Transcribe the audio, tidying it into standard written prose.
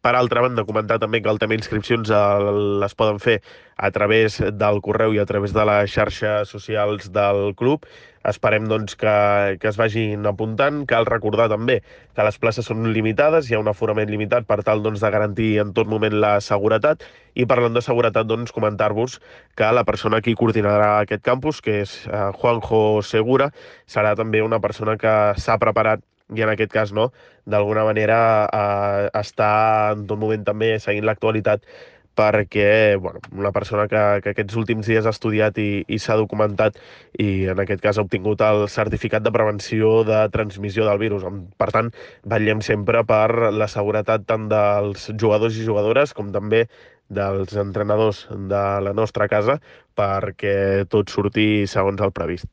Per altra banda, comentar també que el tema inscripcions les poden fer a través del correu i a través de les xarxes socials del club. Esperem doncs, que es vagin apuntant. Cal recordar també que les places són limitades, hi ha un aforament limitat per tal doncs, de garantir en tot moment la seguretat. I parlant de seguretat, doncs, comentar-vos que la persona que coordinarà aquest campus, que és Juanjo Segura, serà també una persona que s'ha preparat i en aquest cas no, d'alguna manera està en tot moment també seguint l'actualitat perquè bueno, una persona que aquests últims dies ha estudiat i s'ha documentat i en aquest cas ha obtingut el certificat de prevenció de transmissió del virus. Per tant, vetllem sempre per la seguretat tant dels jugadors i jugadores com també dels entrenadors de la nostra casa perquè tot surti segons el previst.